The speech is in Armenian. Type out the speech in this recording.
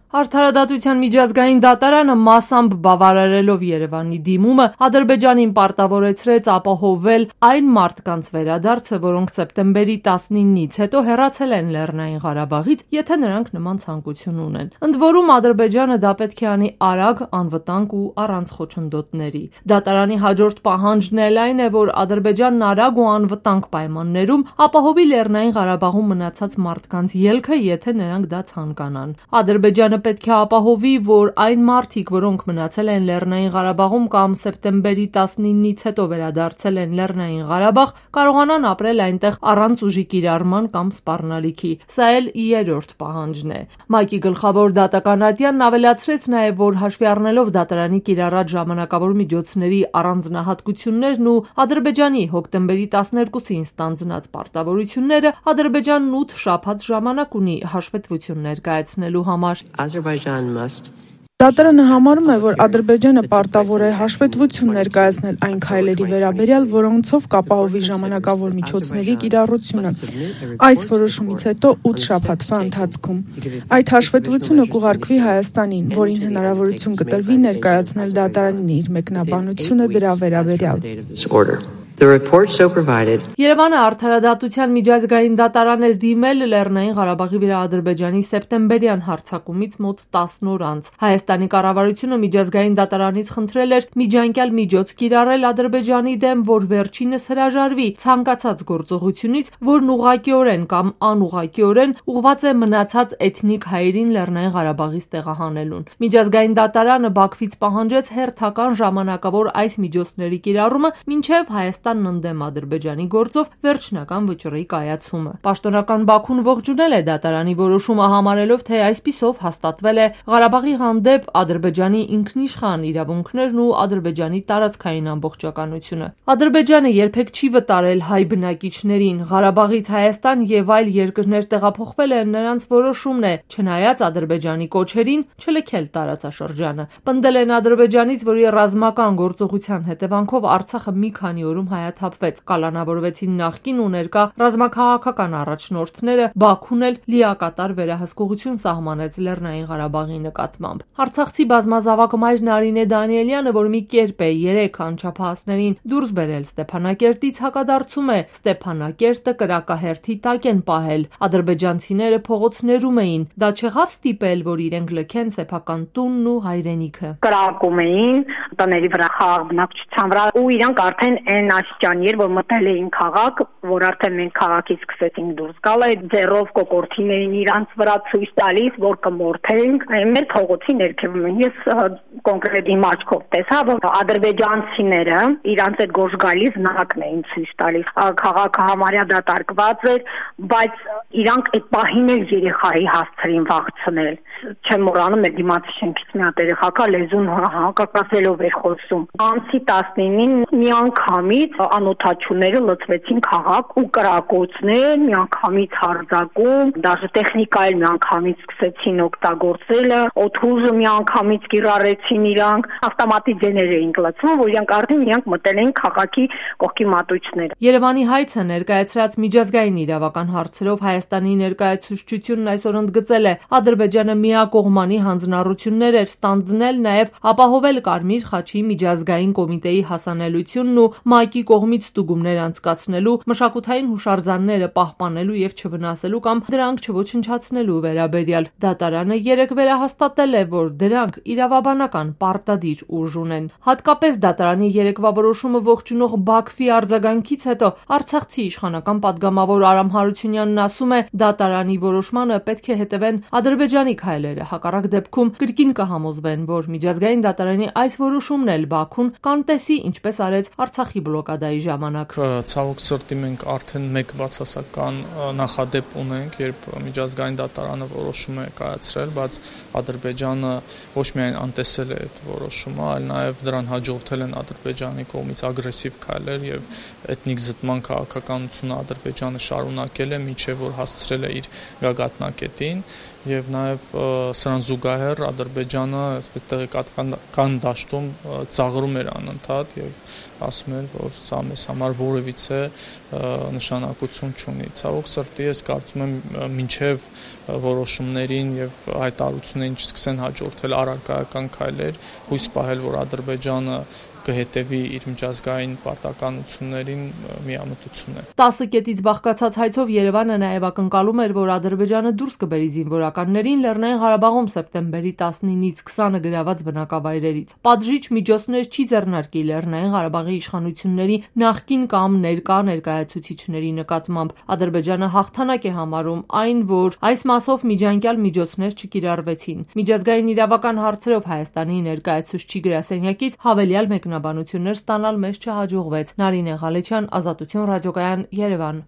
Արդարադատության միջազգային դատարանը մասամբ բավարարելով Երևանի դիմումը Ադրբեջանին պարտավորեցրեց ապահովել այն մարդկանց վերադարձը, որոնք սեպտեմբերի 19-ից հետո հեռացել են Լեռնային Ղարաբաղից, եթե նրանք նման ցանկություն ունեն։ Ընդ որում Ադրբեջանը դա պետք է անի արագ, անվտանգ ու առանց խոչընդոտների։ Դատարանի հաջորդ պահանջն էլ այն է, որ Ադրբեջանն արագ ու անվտանգ պայմաններում ապահովի Լեռնային Ղարաբաղում մնացած մարդկանց ելքը, եթե նրանք դա ցանկանան։ Ադրբեջանը պետք է ապահովի, որ այն մարդիկ, որոնք մնացել են Լեռնային Ղարաբաղում կամ սեպտեմբերի 19-ից հետո վերադարձել են Լեռնային Ղարաբաղ, կարողանան ապրել այնտեղ առանց ուժի կիրառման կամ սպառնալիքի։ Սա էլ երրորդ պահանջն է։ ՄԱԿ-ի գլխավոր դատական ատյանն ավելացրեց նաև, որ հաշվի առնելով դատարանի կիրառած ժամանակավոր միջոցների առանձնահատկություններն ու Ադրբեջանի հոկտեմբերի 12-ին ստանձնած պարտավորությունները, Ադրբեջանն 8 շաբաթ ժամանակ ունի հաշվետվություն ներկայացնելու համար։ Դատարանը համարում է, որ Ադրբեջանը պարտավոր է հաշվետվություն ներկայացնել այն քայլերի վերաբերյալ, որոնցով կապահովի ժամանակավոր միջոցների կիրառությունը։ Այս որոշումից հետո 8 շաբաթվա ընթացքում այդ հաշվետվությունը կուղարկվի Հայաստանին, որին հնարավորություն կտրվի ներկայացնել դատարանին իր մեկնաբանությունը դրա վերաբերյալ։ Երևանը արդարադատության միջազգային դատարան էր դիմել Լեռնային Ղարաբաղի վրա Ադրբեջանի սեպտեմբերյան հարձակումից մոտ 10 օր անց։ Հայաստանի կառավարությունը միջազգային դատարանից խնդրել էր միջանկյալ միջոց կիրառել Ադրբեջանի դեմ, որ վերջինս հրաժարվի ցանկացած գործողությունից, որն ուղղակիորեն կամ անուղղակիորեն ուղղված է մնացած էթնիկ հայերին Լեռնային Ղարաբաղից տեղահանելուն։ Միջազգային դատարանը Բաքվից պահանջեց հերթական ժամանակավոր այս միջոցների կիրառումը, մինչև Հայաստանն ընդդեմ Ադրբեջանի գործով վերջնական վճռի կայացումը։ Պաշտոնական Բաքուն ողջունել է դատարանի որոշումը, համարելով, թե այսպիսով հաստատվել է Ղարաբաղի հանդեպ Ադրբեջանի ինքնիշխան իրավունքներն ու Ադրբեջանի տարածքային ամբողջականությունը։ Ադրբեջանը երբեք չի վտարել հայ բնակիչներին։ Ղարաբաղից Հայաստան եւ այլ երկրներ տեղափոխվել են նրանց որոշումն է, չնայած Ադրբեջանի կոչերին չլքել տարածաշրջանը։ Պնդել են Ադրբեջանից, որի ռազմական գործողության հետևանքով Արցախը մի քանի օրում հայաթափվեց, կալանավորվեցին նախկին ու ներկա ռազմաքաղաքական առաջնորդները, Բաքուն էլ լիակատար վերահսկողություն սահմանեց Լեռնային Ղարաբաղի նկատմամբ։ Արցախցի բազմազավակ մայր Նարինե Դանիելյանը, որ մի կերպ է 3 անչափահասներին դուրս բերել Ստեփանակերտից, հակադարձում է, Ստեփանակերտը կրակահերթի տակ են պահել, ադրբեջանցիները փողոցներում էին, դա չեղավ ստիպել, որ իրենք լքեն սեփական տունն ու հայրենիքը։ Կրակում էին տների վրա, խաղ բնակչության վրա, ու իրանք արդեն այն աստիճանի էր, որ մտել էին քաղաք, որ արդեն մենք քաղաքից սկսեցինք դուրս գալ, այդ ձեռով կոկորտին էին իրանց վրա ցույց տալիս, որ կմորթենք, մեր փողոցի ներքևում։ Ես կոնկրետ իմ աչքով տեսա, որ ադրբեջանցիները իրանց այդ գորշ գալիս նակն էին ցույց տալիս։ Քաղաքը համարյա դատարկված էր, բայց իրանք այդ պահին էլ երեխայի հասցրին վախցնել։ Չեմ մոռանում, մեր դիմացի շենքից մի հատ երեխա կա, լեզուն հակակասելով էր խոսում։ Ամսի 19-ին միանգամից անօթաչուները լցվեցին քաղաք ու կրակոցներ, միանգամից հարձակում, դաժե տեխնիկա էլ միանգամից սկսեցին օգտագործել, օդուժը միանգամից կիրառեցին իրանք, ավտոմատի ձեներ էին լցվում, որ իրանք արդեն իրանք մտել էին քաղաքի կողքի մատույցները։ Երևանի հայցը ներկայացրած միջազգային իրավական հարցերով Հայաստանի ներկայացուցչությունն այսօր ընդգծել է, Ադրբեջանը միակողմանի հանձնառություններ էր ստանձնել, նաև ապահովել Կարմիր խաչի միջազգային կոմիտեի հասանելությունն ու ՄԱԿ-ի կողմից ստուգումներ անցկացնելու, մշակութային հուշարձանները պահպանելու եւ չվնասելու կամ դրանք չոչնչացնելու վերաբերյալ։ Դատարանը երեկ վերահաստատել է, որ դրանք իրավաբանական պարտադիր ուժ ունեն։ Հատկապես դատարանի երեկվա որոշումը ողջունող Բաքվի արձագանքից հետո Արցախցի իշխանական պատգամավոր Արամ Հարությունյանն ասում է, դատարանի որոշմանը պետք է հետևեն Ադրբեջանի քայլերը, հակառակ դեպքում կրկին կհամոզվեն, որ միջազգային դատարանի այս որոշումն էլ Բաքուն կանտեսի, ինչպես արեց Արցախի բլոկադայի ժամանակ։ Ցավոք սրտի մենք արդեն մեկ բացասական նախադեպ ունենք, երբ միջազգային դատարանը որոշում է կայացրել, բայց Ադրբեջանը ոչ միայն անտեսել է այդ որոշումը, այլ նաև դրան հաջորդել են Ադրբեջանի կողմից ագրեսիվ քայլեր եւ էթնիկ զտման քաղաքականությունը Ադրբեջանը շարունակել է, մինչեւ որ հասցրել է իր գագաթնակետին եւ նաեւ սրան զուգահեռ Ադրբեջանը այսպես տեղեկատվական դաշտում ծաղրում էր անընդհատ եւ ասում էր, որ սա մեզ համար որևիցե նշանակություն չունի։ Ցավոք սրտի ես կարծում եմ մինչև որոշումներին եւ հայտարարություններին չսկսեն հաջորդել առարկայական քայլեր, հույս պահել, որ Ադրբեջանը կհետևի իր միջազգային պարտականություններին միամտություն է։ 10 կետից բաղկացած հայցով Երևանը նաև ակնկալում էր, որ Ադրբեջանը դուրս կբերի զինվորականներին Լեռնային Ղարաբաղում սեպտեմբերի 19-ից 20-ը գրաված բնակավայրերից։ Պատժիչ միջոցներ չի ձեռնարկի Լեռնային Ղարաբաղի իշխանությունների նախկին կամ ներկա ներկայացուցիչների նկատմամբ։ Ադրբեջանը հաղթանակ է համարում այն, որ այս մասով միջանկյալ միջոցներ չկիրառվեցին։ Միջազգային իրավական հարցերով Հայաստանի ներկայացուցչի գրասենյակից հավելյալ մեկնաբանություններ ստանալ մեզ չհաջողվեց։ Նարինե Ղալեչյան, Ազատություն ռադիոկայան, Երևան։